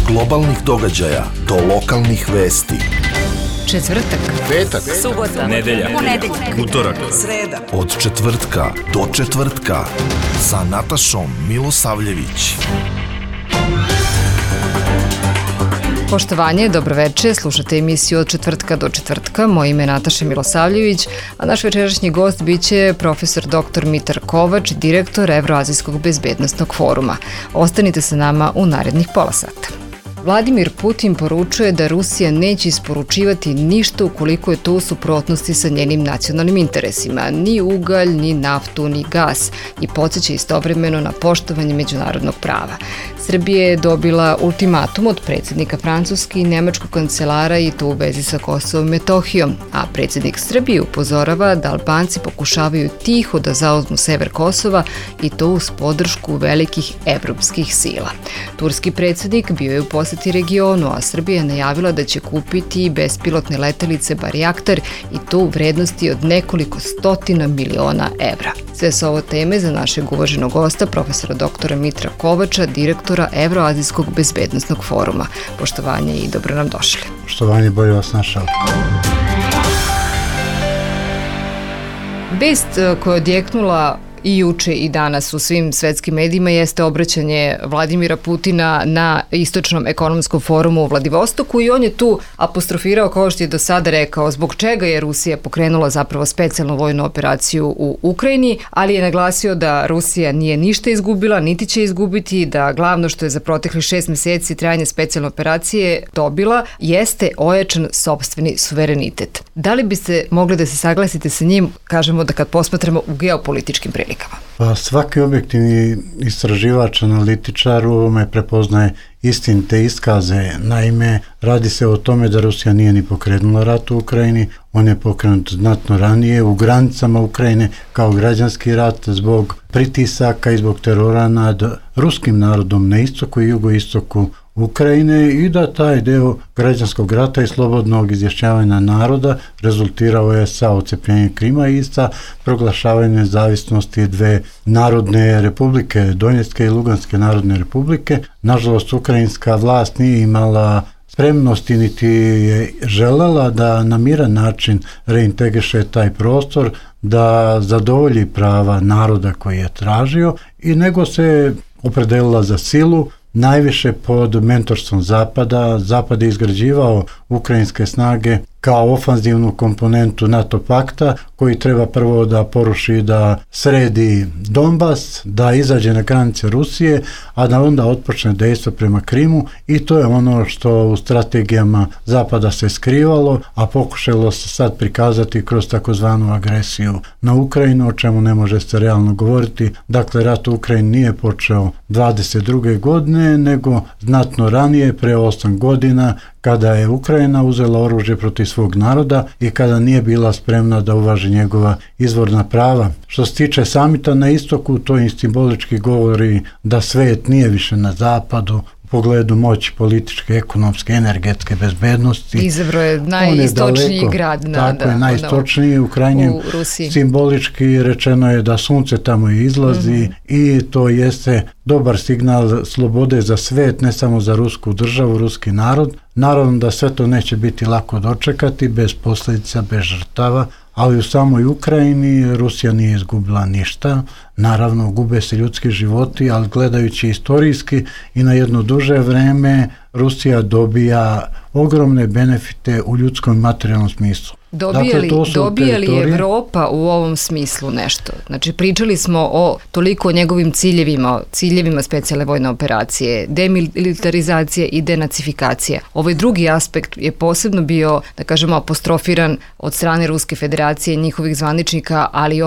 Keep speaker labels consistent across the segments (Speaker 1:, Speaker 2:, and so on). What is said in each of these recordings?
Speaker 1: globalnih događaja do lokalnih vesti.
Speaker 2: Četvrtak,
Speaker 3: petak,
Speaker 2: subota,
Speaker 3: nedelja, utorak,
Speaker 2: sreda.
Speaker 1: Od četvrtka do četvrtka sa Natašom Milosavljević.
Speaker 2: Poštovanje, dobroveče, slušate emisiju Od četvrtka do četvrtka. Moje ime je Nataša Milosavljević, a naš večerašnji gost biće profesor dr. Mitar Kovač, direktor Evroazijskog bezbednosnog foruma. Ostanite sa nama u narednih pola sata. Vladimir Putin poručuje da Rusija neće isporučivati ništa ukoliko je to u suprotnosti sa njenim nacionalnim interesima, ni ugalj, ni naftu, ni gas, i podsjeća istovremeno na poštovanje međunarodnog prava. Srbija je dobila ultimatum od predsjednika Francuske i nemačkog kancelara, i to u vezi sa Kosovom i Metohijom, a predsjednik Srbije upozorava da Albanci pokušavaju tiho da zauzmu sever Kosova, i to uz podršku velikih evropskih sila. Turski predsjednik bio je u posjeti regionu, a Srbija je najavila da će kupiti bespilotne letelice Barjaktar, i to u vrednosti od nekoliko stotina miliona evra. Sve su ovo teme za našeg uvaženog gosta, profesora dr. Mitra Kovača, direktora Evroazijskog bezbednosnog foruma. Poštovanje i dobro nam došli.
Speaker 4: Poštovanje, bolje vas našao.
Speaker 2: Vest koja je odjeknula i juče i danas u svim svetskim medijima jeste obraćanje Vladimira Putina na Istočnom ekonomskom forumu u Vladivostoku, i on je tu apostrofirao, kao što je do sada rekao, zbog čega je Rusija pokrenula zapravo specijalnu vojnu operaciju u Ukrajini, ali je naglasio da Rusija nije ništa izgubila, niti će izgubiti, da glavno što je za proteklih 6 meseci trajanje specijalne operacije dobila jeste ojačan sopstveni suverenitet. Da li biste mogli da se saglasite sa njim, kažemo da kad posmatramo u geopolitičkim prilikama?
Speaker 4: Pa svaki objektivni istraživač, analitičar u ovome prepoznaje istinite iskaze. Naime, radi se o tome da Rusija nije ni pokrenula rat u Ukrajini, on je pokrenut znatno ranije u granicama Ukrajine kao građanski rat zbog pritisaka i zbog terora nad ruskim narodom na istoku i jugoistoku Ukrajine, i da taj deo građanskog rata i slobodnog izjašnjavanja naroda rezultirao je sa odcepljenjem Krima i sa proglašavanjem nezavisnosti dve narodne republike, Donjecke i Luganske narodne republike. Nažalost, ukrajinska vlast nije imala spremnosti niti je želela da na miran način reintegriše taj prostor, da zadovolji prava naroda koji je tražio, i nego se opredelila za silu, najviše pod mentorstvom Zapada. Zapad je izgrađivao ukrajinske snage kao ofanzivnu komponentu NATO pakta, koji treba prvo da poruši, da sredi Donbas, da izađe na granice Rusije, a da onda otpočne dejstvo prema Krimu, i to je ono što u strategijama Zapada se skrivalo, a pokušalo se sad prikazati kroz takozvanu agresiju na Ukrajinu, o čemu ne može se realno govoriti. Dakle, rat u Ukrajini nije počeo 22. godine, nego znatno ranije, pre 8 godina, kada je Ukrajina uzela oružje protiv svog naroda i kada nije bila spremna da uvaži njegova izvorna prava. Što se tiče samita na istoku, to i simbolički govori da svet nije više na zapadu u pogledu moći političke, ekonomske, energetske bezbednosti.
Speaker 2: Izabrao je najistočniji grad.
Speaker 4: Tako je, najistočniji, u krajnjem simbolički rečeno je da sunce tamo izlazi, i to jeste dobar signal slobode za svet, ne samo za rusku državu, ruski narod. Naravno da sve to neće biti lako dočekati, bez posljedica, bez žrtava, ali u samoj Ukrajini Rusija nije izgubila ništa. Naravno, gube se ljudski životi, ali gledajući istorijski i na jedno duže vreme, Rusija dobija ogromne benefite u ljudskom i materijalnom smislu.
Speaker 2: Dobija li Evropa u ovom smislu nešto? Znači, pričali smo o toliko o njegovim ciljevima specijalne vojne operacije, demilitarizacije i denacifikacije. Ovaj drugi aspekt je posebno bio, da kažemo, apostrofiran od strane Ruske federacije, njihovih zvaničnika, ali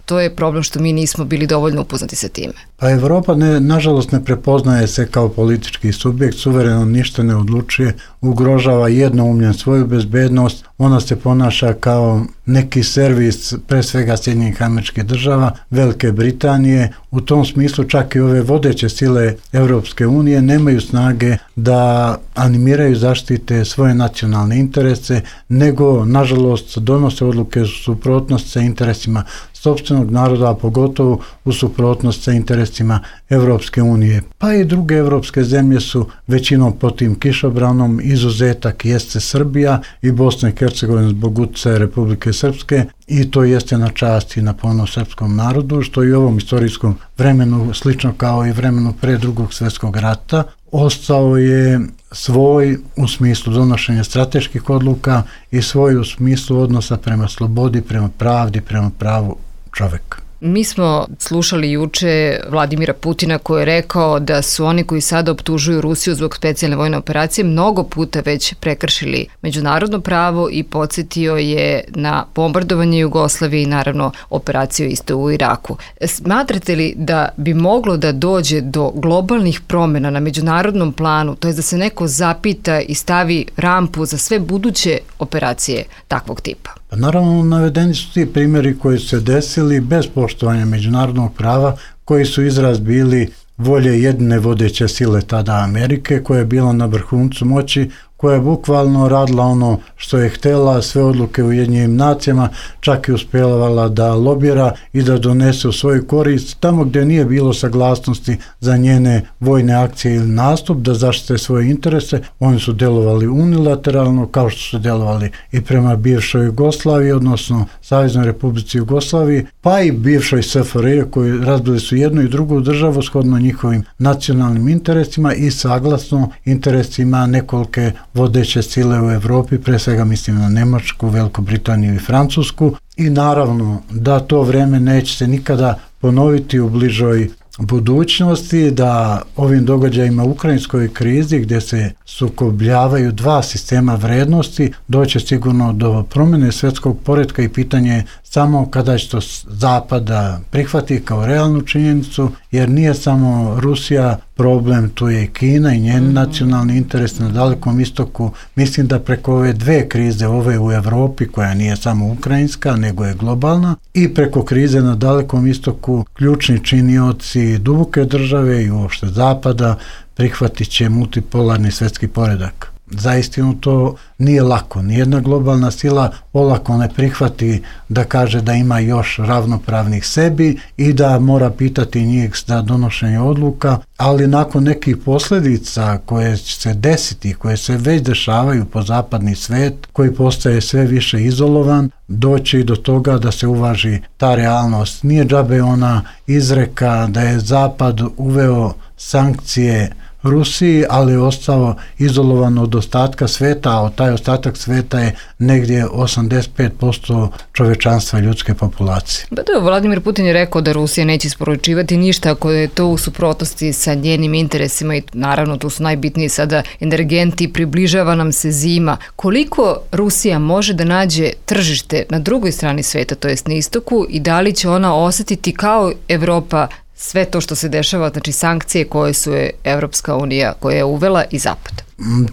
Speaker 2: to je problem što mi nismo bili dovoljno upoznati sa time.
Speaker 4: Pa Evropa nažalost ne prepoznaje se kao politički subjekt, suvereno ništa ne odlučuje, ugrožava jednoumljen svoju bezbednost, ona se ponaša kao neki servis, pre svega Sjedinjenih Američkih Država, Velike Britanije. U tom smislu čak i ove vodeće sile Europske unije nemaju snage da animiraju, zaštite svoje nacionalne interese, nego nažalost donose odluke u suprotnosti sa interesima sopstvenog naroda, a pogotovo u suprotnost sa interesima Evropske unije. Pa i druge evropske zemlje su većinom pod tim kišobranom, izuzetak jeste Srbija i Bosna i Hercegovina zbog utjecaja Republike Srpske, i to jeste na čast i na ponos srpskom narodu, što i u ovom istorijskom vremenu, slično kao i vremenu pre Drugog svjetskog rata, ostao je svoj u smislu donošenja strateških odluka i svoj u smislu odnosa prema slobodi, prema pravdi, prema pravu čovjeka.
Speaker 2: Mi smo slušali juče Vladimira Putina koji je rekao da su oni koji sada optužuju Rusiju zbog specijalne vojne operacije mnogo puta već prekršili međunarodno pravo i podsjetio je na bombardovanje Jugoslavije i naravno operaciju isto u Iraku. Smatrate li da bi moglo da dođe do globalnih promjena na međunarodnom planu, to je da se neko zapita i stavi rampu za sve buduće operacije takvog tipa?
Speaker 4: Pa naravno, navedeni su ti primjeri koji su se desili bez poštovanja međunarodnog prava, koji su izraz bili volje jedne vodeće sile tada Amerike, koja je bila na vrhuncu moći, koja je bukvalno radila ono što je htjela, sve odluke u Ujedinjenim nacijama, čak i uspjevala da lobira i da donese u svoju korist tamo gdje nije bilo saglasnosti za njene vojne akcije ili nastup, da zaštite svoje interese. Oni su djelovali unilateralno, kao što su djelovali i prema bivšoj Jugoslaviji, odnosno Saveznoj Republici Jugoslaviji, pa i bivšoj SFRJ, koji razbili su jednu i drugu državu shodno njihovim nacionalnim interesima i saglasno interesima nekolike vodeće sile u Europi, pre svega mislim na Njemačku, Veliku Britaniju i Francusku, i naravno da to vrijeme neće se nikada ponoviti u bližoj budućnosti, da ovim događajima u ukrajinskoj krizi gdje se sukobljavaju dva sistema vrednosti doće sigurno do promjene svjetskog poretka i pitanje je samo kada će to Zapada prihvati kao realnu činjenicu, jer nije samo Rusija problem, tu je i Kina i njen nacionalni interes na Dalekom istoku. Mislim da preko ove dve krize, ove u Europi koja nije samo ukrajinska nego je globalna, i preko krize na Dalekom istoku, ključni činioci duboke države i uopšte Zapada prihvatit će multipolarni svjetski poredak. Zaistinu to nije lako. Nijedna globalna sila olako ne prihvati da kaže da ima još ravnopravnih sebi i da mora pitati njih za donošenje odluka, ali nakon nekih posljedica koje će se desiti, koje se već dešavaju po zapadni svet, koji postaje sve više izolovan, doći do toga da se uvaži ta realnost. Nije džabe ona izreka da je Zapad uveo sankcije Rusiji, ali je ostao izolovan od ostatka sveta, a taj ostatak sveta je negdje 85% čovečanstva ljudske populacije.
Speaker 2: Vladimir Putin je rekao da Rusija neće isporučivati ništa ako je to u suprotnosti sa njenim interesima i naravno tu su najbitniji sada energenti, približava nam se zima. Koliko Rusija može da nađe tržište na drugoj strani sveta, to jest na istoku, i da li će ona osjetiti kao Evropa sve to što se dešava, znači sankcije koje su je Evropska unija koja je uvela i Zapad?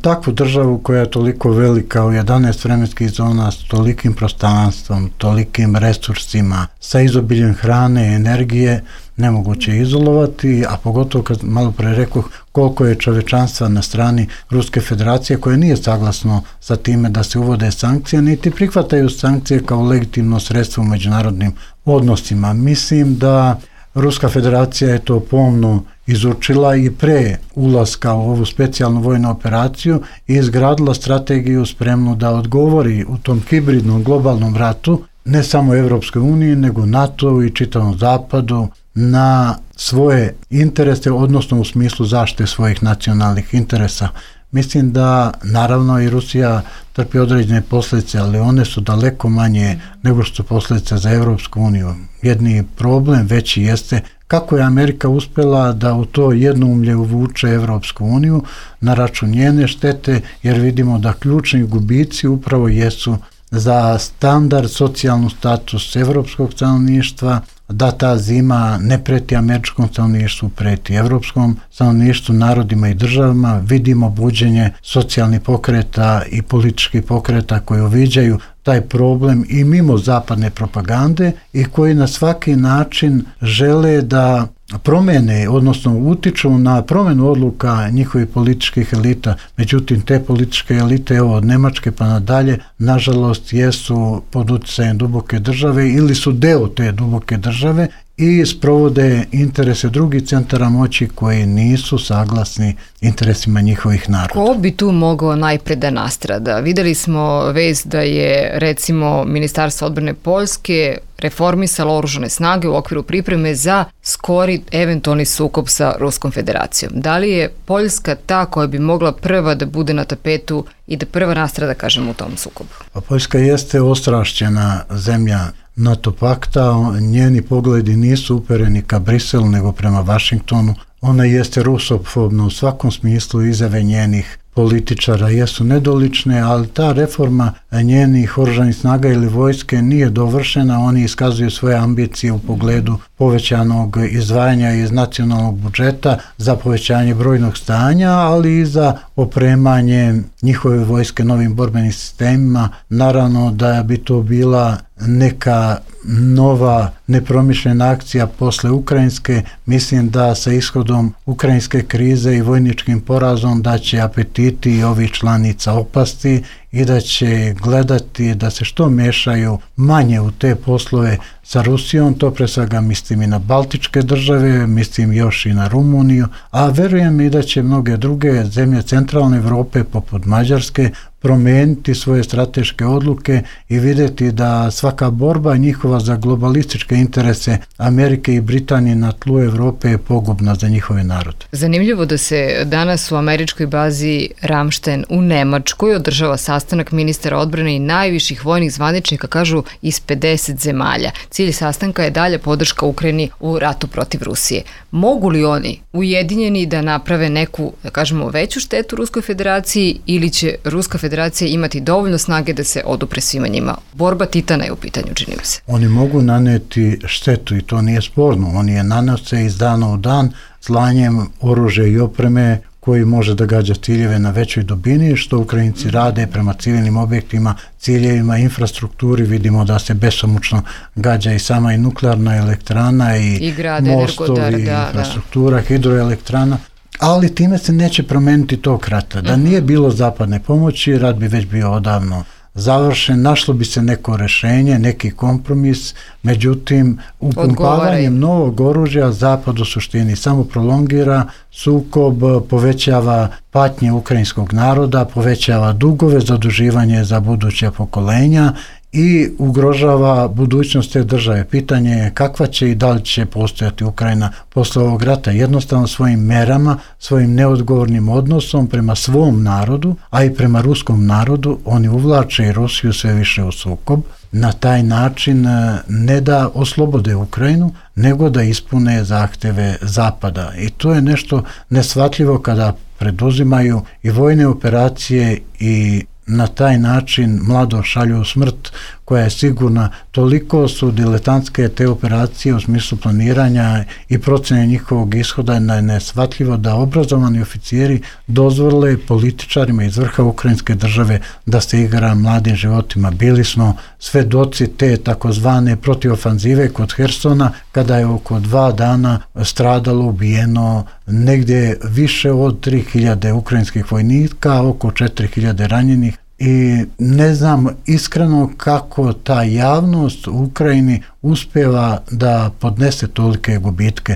Speaker 4: Takvu državu koja je toliko velika, u 11 vremenskih zona, s tolikim prostranstvom, tolikim resursima, sa izobiljem hrane i energije, nemoguće izolovati, a pogotovo kad malo pre rekoh koliko je čovečanstva na strani Ruske federacije koje nije saglasno sa time da se uvode sankcije, niti prihvataju sankcije kao legitimno sredstvo u međunarodnim odnosima. Mislim da Ruska federacija je to pomno izučila i pre ulaska u ovu specijalnu vojnu operaciju i izgradila strategiju spremnu da odgovori u tom hibridnom globalnom ratu ne samo Evropskoj uniji nego NATO i čitavom Zapadu na svoje interese, odnosno u smislu zaštite svojih nacionalnih interesa. Mislim da naravno i Rusija trpi određene posljedice, ali one su daleko manje nego što su posljedice za Evropsku uniju. Jedni problem veći jeste kako je Amerika uspjela da u to jednoumlje uvuče Evropsku uniju na račun njene štete, jer vidimo da ključni gubici upravo jesu za standard, socijalnu status evropskog stanovništva, da ta zima ne preti američkom stanovništvu, preti evropskom stanovništvu, narodima i državama. Vidimo buđenje socijalnih pokreta i političkih pokreta koji uviđaju taj problem i mimo zapadne propagande i koji na svaki način žele da promene, odnosno utiču na promenu odluka njihovih političkih elita. Međutim, te političke elite, evo od Nemačke pa nadalje, nažalost jesu pod utjecajem duboke države ili su deo te duboke države i sprovode interese drugih centara moći koji nisu saglasni interesima njihovih naroda.
Speaker 2: Ko bi tu mogao najpre da nastrada? Videli smo vest da je recimo Ministarstvo odbrane Poljske reformisalo oružane snage u okviru pripreme za skori eventualni sukob sa Ruskom federacijom. Da li je Poljska ta koja bi mogla prva da bude na tapetu i da prva nastrada, kažem, u tom sukobu?
Speaker 4: Pa Poljska jeste ostrašćena zemlja NATO pakta, njeni pogledi nisu upereni ka Briselu nego prema Vašingtonu. Ona jeste rusofobna u svakom smislu, izjave njenih političara jesu nedolične, ali ta reforma njenih oružanih snaga ili vojske nije dovršena. Oni iskazuju svoje ambicije u pogledu povećanog izdvajanja iz nacionalnog budžeta za povećanje brojnog stanja, ali i za opremanje njihove vojske novim borbenim sistemima. Naravno da bi to bila neka nova nepromišljena akcija posle ukrajinske. Mislim da sa ishodom ukrajinske krize i vojničkim porazom da će apetiti ovih članica opasti i da će gledati da se što mešaju manje u te poslove sa Rusijom. To pre svega mislim i na Baltičke države, mislim još i na Rumuniju, a verujem i da će mnoge druge zemlje centralne Evrope poput Mađarske promijeniti svoje strateške odluke i vidjeti da svaka borba njihova za globalističke interese Amerike i Britanije na tlu Evrope je pogubna za njihove narode.
Speaker 2: Zanimljivo da se danas u američkoj bazi Ramštajn u Nemačkoj održava sastanak ministara odbrane i najviših vojnih zvaničnika, kažu, iz 50 zemalja. Cilj sastanka je dalja podrška Ukrajini u ratu protiv Rusije. Mogu li oni ujedinjeni da naprave neku, da kažemo, veću štetu Ruskoj federaciji ili će Ruska federacija imati dovoljno snage da se odupre svima njima? Borba titana je u pitanju, čini mi se.
Speaker 4: Oni mogu naneti štetu i to nije sporno. Oni je nanose iz dana u dan slanjem oružja i opreme koji može da gađa ciljeve na većoj dubini, što Ukrajinci rade prema civilnim objektima, ciljevima, infrastrukturi. Vidimo da se besomučno gađa i sama i nuklearna elektrana i mostovi, infrastruktura, hidroelektrana. Ali time se neće promeniti tog rata. Da nije bilo zapadne pomoći, rat bi već bio odavno završen, našlo bi se neko rešenje, neki kompromis, međutim, upumpavanjem novog oružja Zapad u suštini samo prolongira sukob, povećava patnje ukrajinskog naroda, povećava dugove, zaduživanje za buduća pokolenja i ugrožava budućnost te države. Pitanje je kakva će i da li će postojati Ukrajina posle ovog rata. Jednostavno svojim merama, svojim neodgovornim odnosom prema svom narodu, a i prema ruskom narodu, oni uvlače i Rusiju sve više u sukob. Na taj način ne da oslobode Ukrajinu, nego da ispune zahteve Zapada. I to je nešto neshvatljivo kada preduzimaju i vojne operacije i na taj način mlado šalju u smrt koja je sigurna. Toliko su diletantske te operacije u smislu planiranja i procene njihovog ishoda je neshvatljivo da obrazovani oficiri dozvole političarima iz vrha ukrajinske države da se igra mladim životima. Bili smo svedoci te takozvane protivofanzive kod Hersona, kada je oko 2 dana stradalo, ubijeno negdje više od 3000 ukrajinskih vojnika, oko 4000 ranjenih. I ne znam iskreno kako ta javnost u Ukrajini uspeva da podnese tolike gubitke.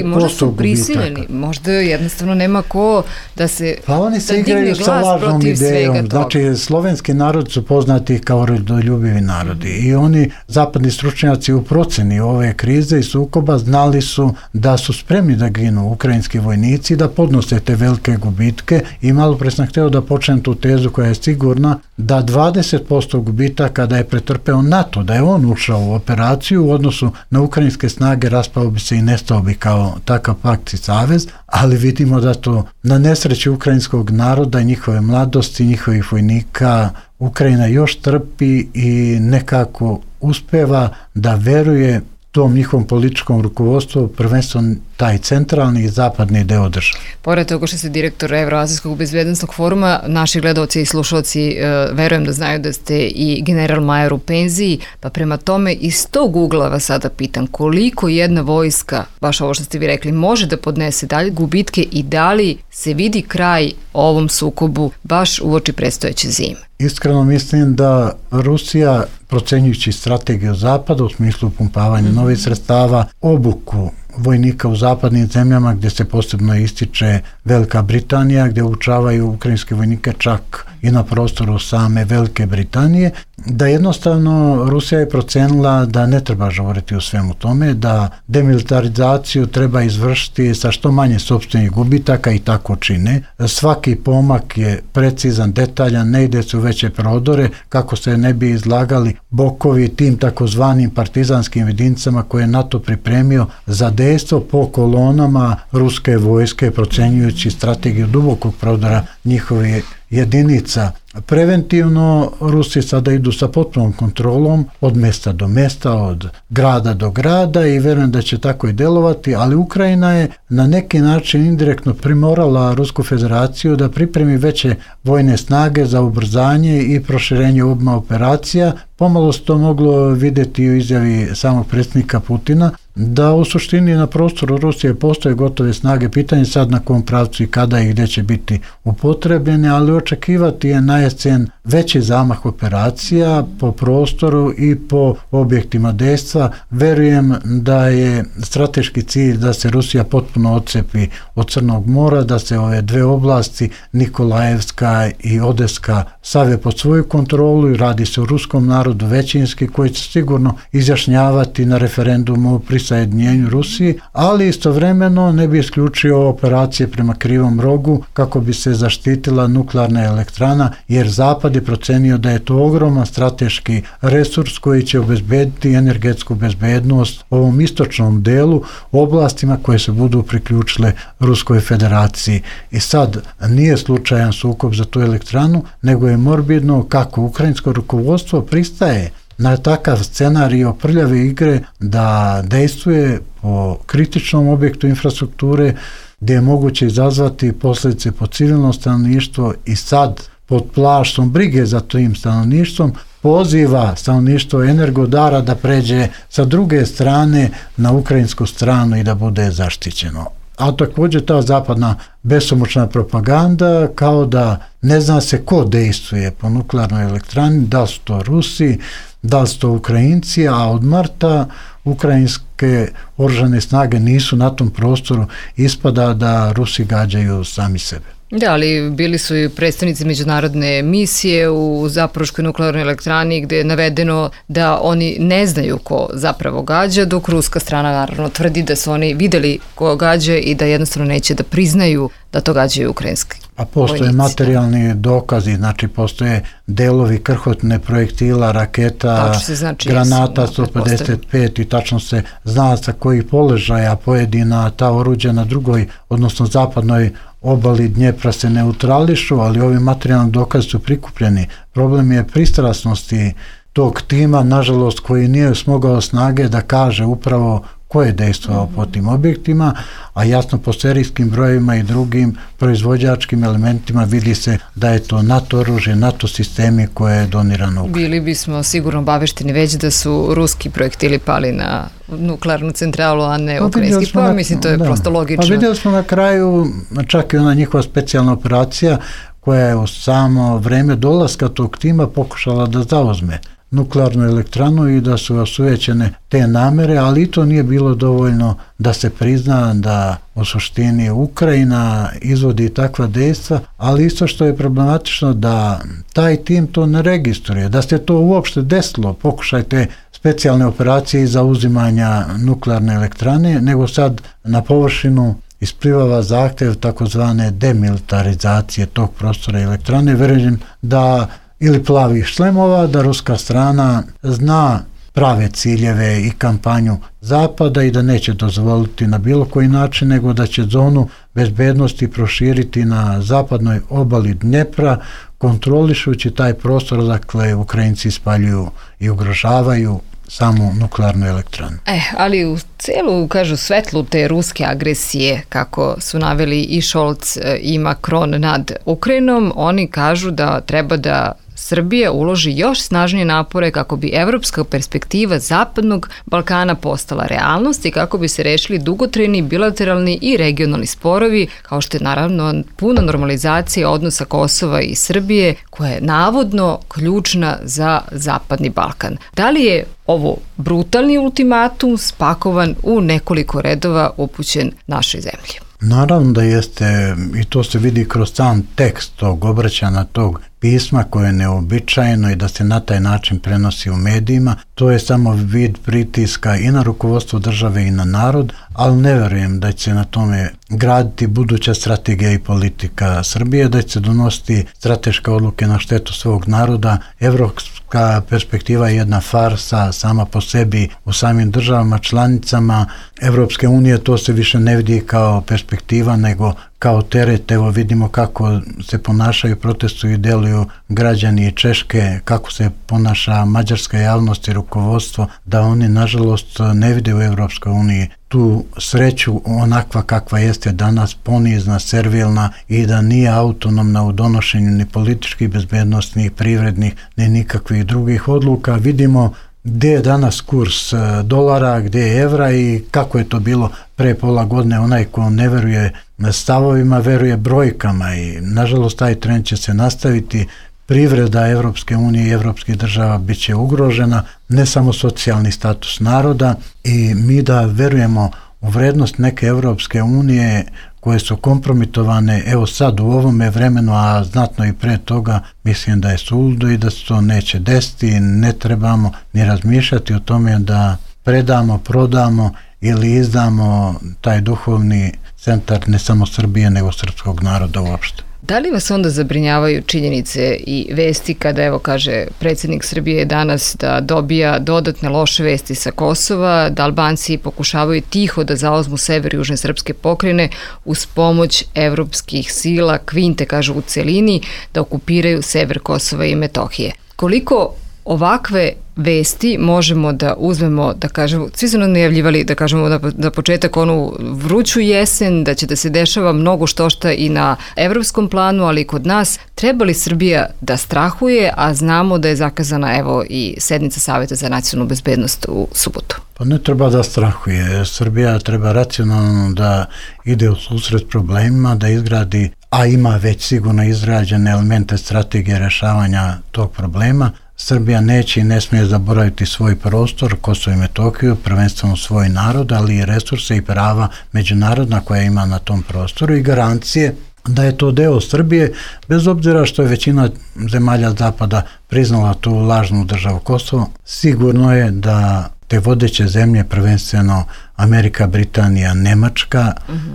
Speaker 2: Možda su prisiljeni, možda jednostavno nema ko da se
Speaker 4: pa oni se igraju sa lažnom idejom. Znači, slovenski narod su poznati kao rodoljubivi narodi i oni, zapadni stručnjaci u proceni ove krize i sukoba, znali su da su spremni da ginu ukrajinski vojnici, da podnose te velike gubitke i malo pre sam hteo da počnem tu tezu koja je sigurna da 20% gubitaka da je pretrpeo NATO, da je on ušao u operaciju u odnosu na ukrajinske snage, raspao bi se i nestao bi kao takav pakt i savez, ali vidimo da to na nesreću ukrajinskog naroda i njihove mladosti, njihovih vojnika, Ukrajina još trpi i nekako uspeva da veruje tom njihovom političkom rukovodstvu, prvenstveno taj centralni i zapadni deo države.
Speaker 2: Pored toga što ste direktor Evroazijskog bezbednosnog foruma, naši gledaoci i slušalci verujem da znaju da ste i general majer u penziji, pa prema tome iz tog ugla vas sada pitam koliko jedna vojska, baš ovo što ste vi rekli, može da podnese dalje gubitke i da li se vidi kraj ovom sukobu baš uoči predstojeće zime?
Speaker 4: Iskreno mislim da Rusija, procenjujući strategiju Zapada u smislu pumpavanja novih sredstava, obuku vojnika u zapadnim zemljama gdje se posebno ističe Velika Britanija, gdje učavaju ukrajinske vojnike čak i na prostoru same Velike Britanije, da jednostavno Rusija je procenila da ne treba žuriti u svemu tome, da demilitarizaciju treba izvršiti sa što manje sopstvenih gubitaka i tako čine. Svaki pomak je precizan, detaljan, ne ide se u veće prodore kako se ne bi izlagali bokovi tim takozvanim partizanskim jedinicama koje je NATO pripremio za dejstvo po kolonama ruske vojske, procenjujući strategiju dubokog prodora njihovih jedinica. Preventivno Rusi sada idu sa potpunom kontrolom od mesta do mesta, od grada do grada i verujem da će tako i delovati, ali Ukrajina je na neki način indirektno primorala Rusku federaciju da pripremi veće vojne snage za ubrzanje i proširenje obma operacija. Pomalo se to moglo vidjeti u izjavi samog predsjednika Putina, da u suštini na prostoru Rusije postoje gotove snage, pitanje sad na kom pravcu i kada i gdje će biti upotrebljene, ali očekivati je na jesen veći zamah operacija po prostoru i po objektima dejstva. Verujem da je strateški cilj da se Rusija potpuno odcepi od Crnog mora, da se ove dve oblasti, Nikolajevska i Odeska, stave pod svoju kontrolu i radi se o ruskom narodu većinski koji će sigurno izjašnjavati na referendumu o prisajedinjenju Rusiji, ali istovremeno ne bi isključio operacije prema Krivom rogu kako bi se zaštitila nuklearna elektrana, jer Zapad je procenio da je to ogroman strateški resurs koji će obezbediti energetsku bezbednost ovom istočnom delu, oblastima koje se budu priključile Ruskoj federaciji. I sad nije slučajan sukob za tu elektranu, nego je morbidno kako ukrajinsko rukovodstvo pristaje na takav scenario prljave igre da dejstvuje po kritičnom objektu infrastrukture gdje je moguće izazvati posljedice po civilno stanovništvo i sad pod plaštom brige za tim stanovništvom poziva stanovništvo Energodara da pređe sa druge strane na ukrajinsku stranu i da bude zaštićeno. A također ta zapadna besomučna propaganda kao da ne zna se ko dejstvuje po nuklearnoj elektrani, da su to Rusi, da su to Ukrajinci, a od marta ukrajinske oružane snage nisu na tom prostoru, ispada da Rusi gađaju sami sebe.
Speaker 2: Da, ali bili su i predstavnici međunarodne misije u Zaporoškoj nuklearnoj elektrani gdje je navedeno da oni ne znaju ko zapravo gađa, dok ruska strana naravno tvrdi da su oni vidjeli ko gađa i da jednostavno neće da priznaju da to gađaju ukrajinski vojnici.
Speaker 4: A postoje materijalni dokazi, znači postoje delovi krhotne projektila, raketa, granata 155 i tačno se zna sa kojih položaja pojedina ta oruđa na drugoj, odnosno zapadnoj obali Dnjepra se neutrališu, ali ovi materijalni dokazi su prikupljeni. Problem je pristrasnosti tog tima, nažalost, koji nije smogao snage da kaže upravo ko je dejstvovao po tim objektima, a jasno po serijskim brojevima i drugim proizvođačkim elementima vidi se da je to NATO oružje, NATO sistemi koje je donirano Ukrajini.
Speaker 2: Bili bismo sigurno obavešteni već da su ruski projektili pali na nuklearnu centralu, a ne ukrajinski. Pa mislim, to je prosto logično.
Speaker 4: Pa vidjeli smo na kraju, čak i ona njihova specijalna operacija koja je u samo vreme dolaska tog tima pokušala da zauzme nuklearnu elektranu i da su osujećene te namere, ali i to nije bilo dovoljno da se prizna da u suštini Ukrajina izvodi takva dejstva, ali isto što je problematično da taj tim to ne registruje, da se to uopšte desilo, pokušajte specijalne operacije i zauzimanja nuklearne elektrane, nego sad na površinu isplivava zahtjev takozvane demilitarizacije tog prostora elektrane. Verujem da ili plavih šlemova, da ruska strana zna prave ciljeve i kampanju Zapada i da neće dozvoliti na bilo koji način, nego da će zonu bezbednosti proširiti na zapadnoj obali Dnjepra, kontrolišući taj prostor, dakle Ukrajinci spaljuju i ugrožavaju samu nuklearnu elektranu.
Speaker 2: Ali u celu, kažu, svetlu te ruske agresije, kako su naveli i Scholz i Macron nad Ukrajinom, oni kažu da treba da Srbija uloži još snažnije napore kako bi evropska perspektiva Zapadnog Balkana postala realnost i kako bi se rešili dugotrajni, bilateralni i regionalni sporovi, kao što je naravno puna normalizacija odnosa Kosova i Srbije, koja je navodno ključna za Zapadni Balkan. Da li je ovo brutalni ultimatum spakovan u nekoliko redova upućen našoj zemlji?
Speaker 4: Naravno da jeste, i to se vidi kroz sam tekst tog obraćanja, tog pisma koje je neobičajeno i da se na taj način prenosi u medijima. To je samo vid pritiska i na rukovodstvo države i na narod, ali ne verujem da će se na tome graditi buduća strategija i politika Srbije, da će se donositi strateške odluke na štetu svog naroda. Evropska perspektiva je jedna farsa sama po sebi u samim državama članicama Evropske unije. To se više ne vidi kao perspektiva nego kao teret. Evo vidimo kako se ponašaju, protestuju i deluju građani Češke, kako se ponaša mađarska javnost i rukovodstvo, da oni nažalost ne vide u Evropskoj uniji tu sreću onakva kakva jeste danas, ponizna, servilna i da nije autonomna u donošenju ni političkih, bezbednostnih, privrednih, ni nikakvih drugih odluka. Vidimo gdje je danas kurs dolara, gdje je evra i kako je to bilo pre pola godine. Onaj ko ne veruje stavovima, veruje brojkama i nažalost taj trend će se nastaviti. Privreda Evropske unije i evropskih država bit će ugrožena, ne samo socijalni status naroda, i mi da verujemo u vrednost neke Evropske unije koje su kompromitovane evo sad u ovome vremenu, a znatno i pre toga, mislim da je suludo i da se to neće desiti. Ne trebamo ni razmišljati o tome da predamo, prodamo ili izdamo taj duhovni centar ne samo Srbije nego srpskog naroda uopšte.
Speaker 2: Da li vas onda zabrinjavaju činjenice i vesti kada, evo, kaže predsjednik Srbije danas da dobija dodatne loše vesti sa Kosova, da Albanci pokušavaju tiho da zauzmu sever južne srpske pokrajine uz pomoć evropskih sila, kvinte, kažu, u celini, da okupiraju sever Kosova i Metohije? Koliko ovakve vesti možemo da uzmemo, da kažemo, svi su nam najavljivali, da kažemo da početak onu vruću jesen, da će da se dešava mnogo štošta i na evropskom planu, ali i kod nas. Treba li Srbija da strahuje, a znamo da je zakazana evo i sednica Saveta za nacionalnu bezbednost u subotu?
Speaker 4: Pa ne treba da strahuje. Srbija treba racionalno da ide u susret problemima, da izgradi, a ima već sigurno izgrađene elemente strategije rešavanja tog problema. Srbija neće i ne smije zaboraviti svoj prostor, Kosovo i Metohiju, prvenstveno svoj narod, ali i resurse i prava međunarodna koja ima na tom prostoru i garancije da je to deo Srbije, bez obzira što je većina zemalja Zapada priznala tu lažnu državu Kosovo. Sigurno je da te vodeće zemlje, prvenstveno Amerika, Britanija, Nemačka,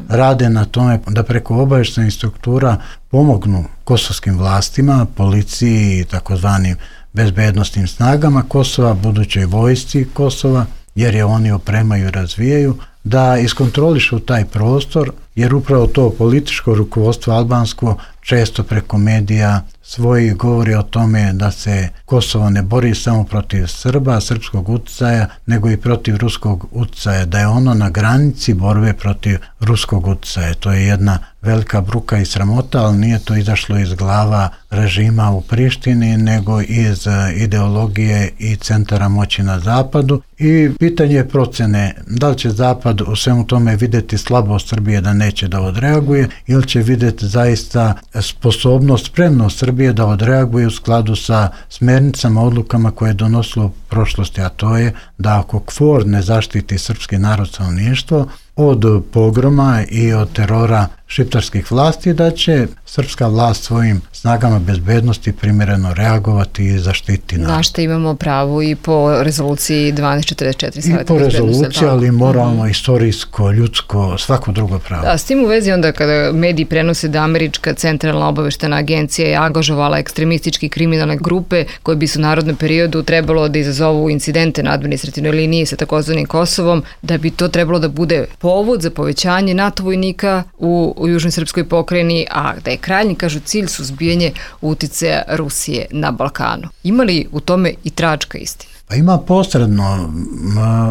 Speaker 4: rade na tome da preko obavještajnih struktura pomognu kosovskim vlastima, policiji i takozvanim bezbednostnim snagama Kosova, budućoj vojsci Kosova, jer je oni opremaju i razvijaju, da iskontrolišu taj prostor, jer upravo to političko rukovodstvo albansko često preko medija svoji govori o tome da se Kosovo ne bori samo protiv Srba, srpskog utjecaja, nego i protiv ruskog utjecaja, da je ono na granici borbe protiv ruskog utjecaja. To je jedna velika bruka i sramota, ali nije to izašlo iz glava režima u Prištini, nego iz ideologije i centara moći na zapadu. I pitanje je procene, da li će zapad u svemu tome vidjeti slabost Srbije da neće da odreaguje, ili će vidjeti zaista sposobnost, spremnost Srbije da odreaguje u skladu sa smernicama, odlukama koje je donosilo u prošlosti, a to je da ako KFOR ne zaštiti srpski narod, stanovništvo od pogroma i od terora šiptarskih vlasti, da će srpska vlast svojim snagama bezbednosti primjereno reagovati i zaštiti narod.
Speaker 2: Na što imamo pravo i po rezoluciji 1244 Saveta bezbednosti.
Speaker 4: I po rezoluciji, ali moralno, istorijsko, ljudsko, svako drugo pravo.
Speaker 2: Da, s tim u vezi onda kada mediji prenose da Američka centralna obaveštajna agencija je angažovala ekstremistički kriminalne grupe koje bi su u narodnom periodu trebalo da izazovu incidente na administrativnoj liniji sa takozvanim Kosovom, da bi to trebalo da bude povod za povećanje NATO vojnika u u Južnoj srpskoj pokrajini, a da je krajnji, kažu, cilj suzbijanje uticaja Rusije na Balkanu. Ima li u tome i tračka istina?
Speaker 4: Pa ima posredno.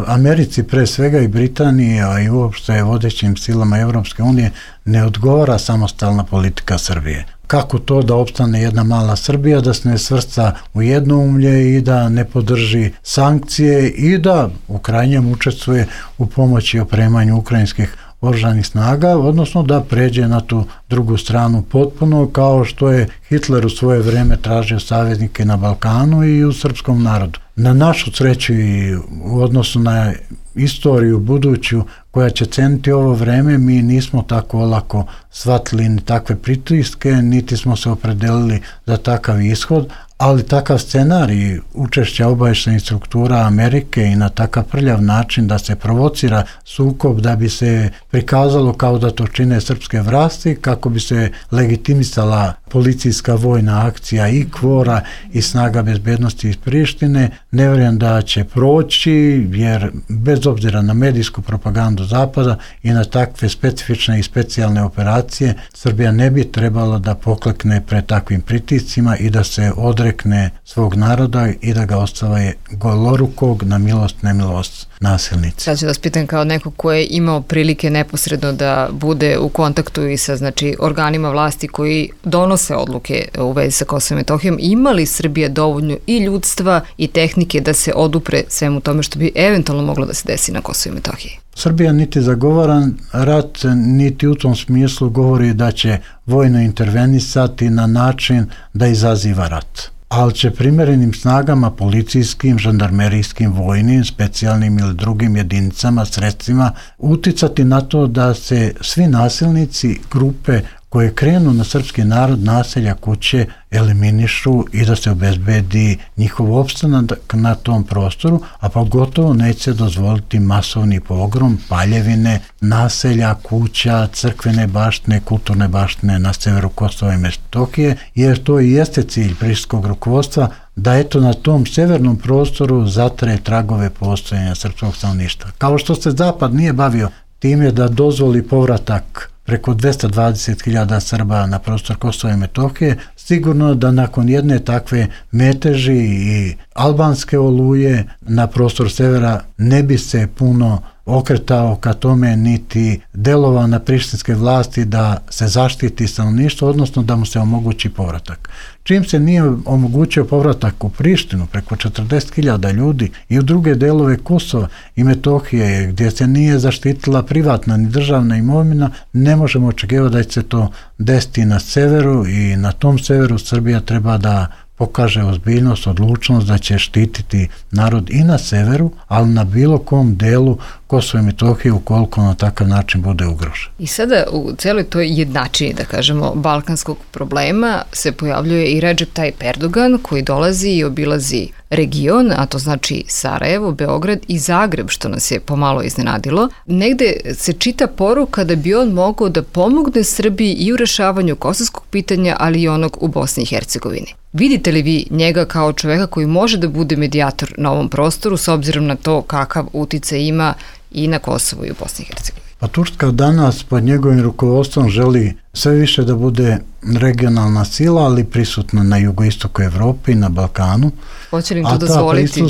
Speaker 4: Americi pre svega i Britaniji, a i uopšte vodećim silama Evropske unije ne odgovara samostalna politika Srbije. Kako to da opstane jedna mala Srbija, da se ne svrsta u jednoumlje i da ne podrži sankcije i da u krajnjem učestvuje u pomoći i opremanju ukrajinskih oružanih snaga, odnosno da pređe na tu drugu stranu potpuno, kao što je Hitler u svoje vreme tražio saveznike na Balkanu i u srpskom narodu. Na našu sreću i u odnosu na istoriju buduću koja će ceniti ovo vreme, mi nismo tako olako shvatili ni takve pritiske, niti smo se opredelili za takav ishod, ali takav scenarij učešća obavještajnih struktura Amerike i na takav prljav način da se provocira sukob, da bi se prikazalo kao da to čine srpske vlasti, kako bi se legitimisala policijska vojna akcija i KFOR-a i snaga bezbednosti iz Prištine, ne vjerujem da će proći, jer bez obzira na medijsku propagandu Zapada i na takve specifične i specijalne operacije, Srbija ne bi trebala da poklekne pred takvim pritiscima i da se odrekne svog naroda i da ga ostave golorukog na milost, nemilost nasilnici.
Speaker 2: Sad ću vas pitam kao neko ko je imao prilike neposredno da bude u kontaktu i sa organima vlasti koji donose odluke u vezi sa Kosovom i Metohijom, ima li Srbija dovoljno i ljudstva i tehnike da se odupre svemu tome što bi eventualno moglo da se desi na Kosovu i Metohiji?
Speaker 4: Srbija niti zagovara rat, niti u tom smislu govori da će vojno intervenisati na način da izaziva rat. Ali će primjerenim snagama, policijskim, žandarmerijskim, vojnim, specijalnim ili drugim jedinicama, sredstvima, uticati na to da se svi nasilnici, grupe koje krenu na srpski narod, naselja, kuće, eliminišu i da se obezbedi njihov opstanak na tom prostoru, a pogotovo neće dozvoliti masovni pogrom, paljevine, naselja, kuća, crkvene baštine, kulturne baštine na severu Kosova i Metohije, jer to i jeste cilj prištinskog rukovodstva, da eto na tom severnom prostoru zatre tragove postojanja srpskog stanovništva. Kao što se Zapad nije bavio time da dozvoli povratak preko 220.000 Srba na prostor Kosova i Metohije, sigurno da nakon jedne takve meteži i albanske oluje na prostor severa ne bi se puno okretao ka tome niti delovao na prištinske vlasti da se zaštiti stanovništvo, odnosno da mu se omogući povratak. Čim se nije omogućio povratak u Prištinu preko 40.000 ljudi i u druge delove Kosova i Metohije gdje se nije zaštitila privatna ni državna imovina, ne možemo očekivati da će se to desiti na severu i na tom severu Srbija treba da pokaže ozbiljnost, odlučnost da će štititi narod i na severu, ali na bilo kom delu Kosova i Metohije ukoliko na takav način bude ugrožen.
Speaker 2: I sada u cijeloj toj jednačini, da kažemo, balkanskog problema se pojavljuje i Recep Tayyip Erdogan koji dolazi i obilazi region, a to znači Sarajevo, Beograd i Zagreb, što nas je pomalo iznenadilo. Negde se čita poruka da bi on mogao da pomogne Srbiji i u rešavanju kosovskog pitanja, ali i onog u Bosni i Hercegovini. Vidite li vi njega kao čoveka koji može da bude medijator na ovom prostoru s obzirom na to kakav uticaj ima i na Kosovu i u Bosni i Hercegovini?
Speaker 4: Pa Turska danas pod njegovim rukovodstvom želi sve više da bude regionalna sila, ali prisutna na jugoistoku Evrope i na Balkanu.
Speaker 2: Hoće li im to dozvoliti?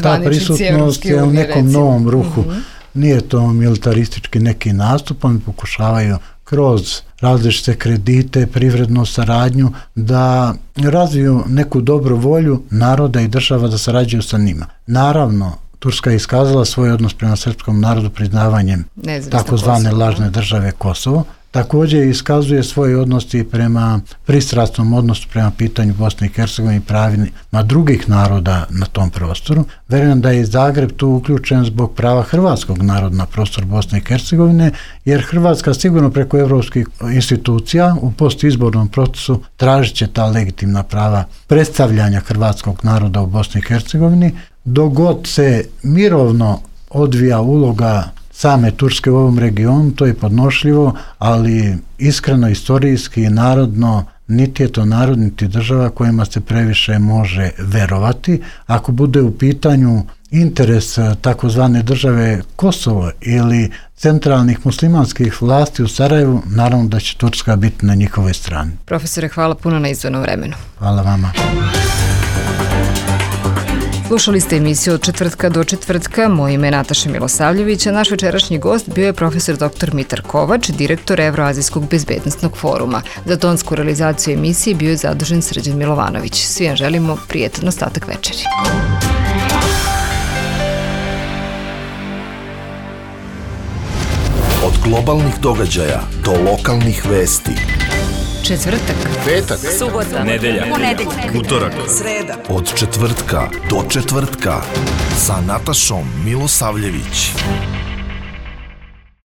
Speaker 4: Ta prisutnost je u nekom novom ruhu. Nije to militaristički neki nastup, oni pokušavaju kroz različite kredite, privrednu saradnju, da razviju neku dobru volju naroda i država da sarađuju sa njima. Naravno, Turska je iskazala svoj odnos prema srpskom narodu priznavanjem takozvane lažne države Kosovo. Također iskazuje svoj odnos i prema pristrasnom odnosu prema pitanju Bosne i Hercegovine i pravima drugih naroda na tom prostoru. Verujem da je Zagreb tu uključen zbog prava hrvatskog naroda na prostor Bosne i Hercegovine, jer Hrvatska sigurno preko evropskih institucija u postizbornom procesu tražit će ta legitimna prava predstavljanja hrvatskog naroda u Bosni i Hercegovini. Dok god se mirovno odvija uloga same Turske u ovom regionu, to je podnošljivo, ali iskreno, istorijski i narodno, niti je to narod, niti država kojima se previše može verovati. Ako bude u pitanju interes takozvane države Kosovo ili centralnih muslimanskih vlasti u Sarajevu, naravno da će Turska biti na njihovoj strani.
Speaker 2: Profesore, hvala puno na izdvojenom vremenu.
Speaker 4: Hvala vama.
Speaker 2: Slušali ste emisiju Od četvrtka do četvrtka. Moje ime je Nataša Milosavljević, a naš večerašnji gost bio je profesor dr. Mitar Kovač, direktor Evroazijskog bezbednosnog foruma. Za tonsku realizaciju emisije bio je zadužen Srđan Milovanović. Svi vam želimo prijetan ostatak večeri.
Speaker 1: Od globalnih događaja do lokalnih vesti.
Speaker 2: Četvrtak,
Speaker 1: Petak,
Speaker 3: subota, nedelja,
Speaker 2: ponedeljak,
Speaker 3: utorak,
Speaker 5: sreda.
Speaker 1: od četvrtka do četvrtka sa Natašom Milosavljević.